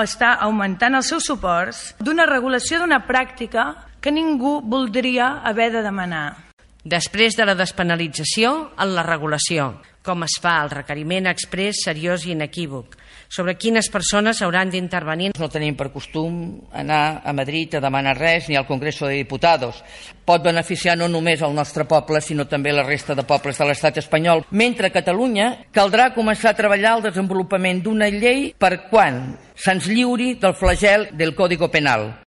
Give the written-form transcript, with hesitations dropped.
està augmentant els seus suports d'una regulació d'una pràctica que ningú voldria haver de demanar. Després de la despenalització, en la regulació, com es fa el requeriment exprés, seriós i inequívoc, sobre quines persones hauran d'intervenir. No tenim per costum anar a Madrid a demanar res ni al Congreso de Diputados. Pot beneficiar no només el nostre poble, sinó també la resta de pobles de l'estat espanyol. Mentre a Catalunya caldrà començar a treballar el desenvolupament d'una llei per quan se'ns lliuri del flagel del Código Penal.